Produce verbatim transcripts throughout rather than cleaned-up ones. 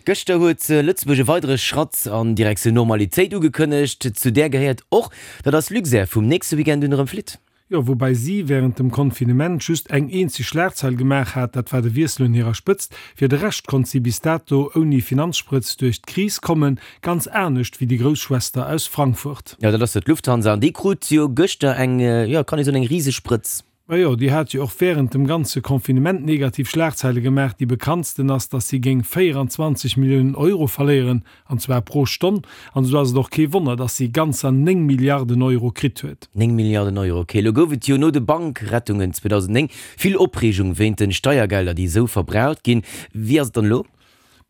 Gëschter huet Lëtzebuerg e weidere Schratt an Direktioun Normalitéit ugekënnegt. Zu där gehéiert och, datt ass Luxair vum nächste Weekend un erëm flitt. Jo, woubäi si wärend dem Confinement just eng eenzeg Schlagzeil gemaach hat, dat war de Wiessel un hirer Spëtzt. Fir de Rescht konnt si bis dato ouni Finanzsprëtz duerch d'Kris kommen, ganz anescht wéi déi grouss Schwester aus Frankfurt. Jo, dat ass jo d'Lufthansa an déi krut jo gëschter eng, jo, kann ee soen, eng Risesprëtz. Majo, déi hat jo och wärend dem ganze Confinement negativ Schlagzeile gemaach. Déi bekanntsten ass, datt si géing véieranzwanzeg Milliounen Euro verléieren, an zwar pro Stonn. An esou ass et och kee Wonner, datt si ganzer néng Milliarden Euro kritt huet. Néng Milliarden Euro, ok. Elo gouf et jo no de Bankrettungen zweedausendnéng vill Opreegung wéint den Steiergelder, déi esou verbraucht ginn. Wéi ass et dann elo?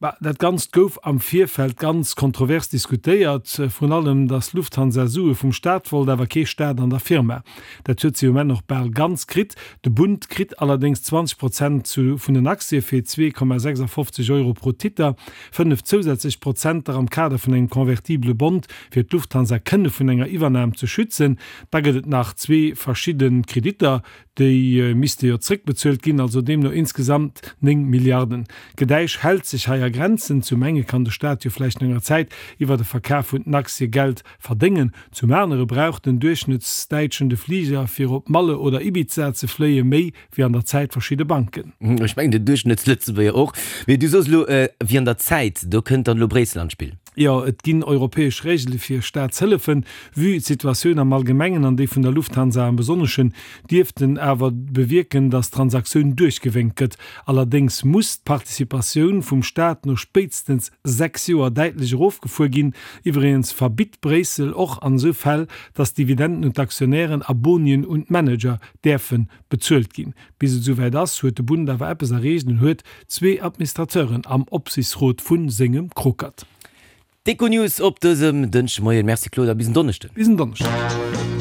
Bah, dat Ganzt gouf am Virfeld ganz kontrovers diskutéiert, vrun allem, datt Lufthansa Sue vum Staat wollt, awer kee Staat an der Firma. Dat huet si um Enn och bal ganz kritt. De Bund kritt allerdéngs zwanzeg Prozent zu vun den Aktie fir zwee Komma sechsafofzeg Euro pro Titter, fënnef zousätzlech Prozenter am Kader vun engem convertible Bond, fir d'Lufthansa kënne vun enger Iwwernam ze schützen. Da gëtt et nach zwee verschidde Kreditter, Déi misste jo zréckbezuelt ginn, also deemno insgesamt néng Milliarden. D'Gedäisch hält sech hei a Grenzen. Zum enge kann de Staat jo vläicht no enger Zäit iwwer de Verkaf vun den Aktie Geld verdéngen, zum anere brauch den Duerchschnëttsdäitschen de Fliger fir op Malle oder Ibiza ze fléie méi wéi an der Zäit verschidde Banken. Ech mengen den Duerchschnëttslëtzebuerger och. Mee du soos elo wéi an der Zäit, do kënnt dann elo Bréissel an d'Spill. Jo, et ginn europäesch Regele fir Staatshëllefen. Vue d'Situatioun am Allgemengen an déi vun der Lufthansa am Besonneschen, dierften awer bewierken, datt d'Transaktioun duerchgewénkt gëtt. Allerdéngs muss d'Participatioun vum Staat no spéitstens sechs Joer däitlech erofgefuer ginn. Iwwregens verbitt Bréissel och an esou Fäll, datt Dividenden un d'Aktionären a Bonien un d'Manager däerfe bezuelt ginn. Bis et esouwäit ass, huet de Bund awer eppes erreecht, en huet zwee Administrateuren am Opsichtsrot vu sengem Krokert. D'Econews op dësem Dënschdemoien. Merci Claude a bis en Donneschden. Bis en Donneschden.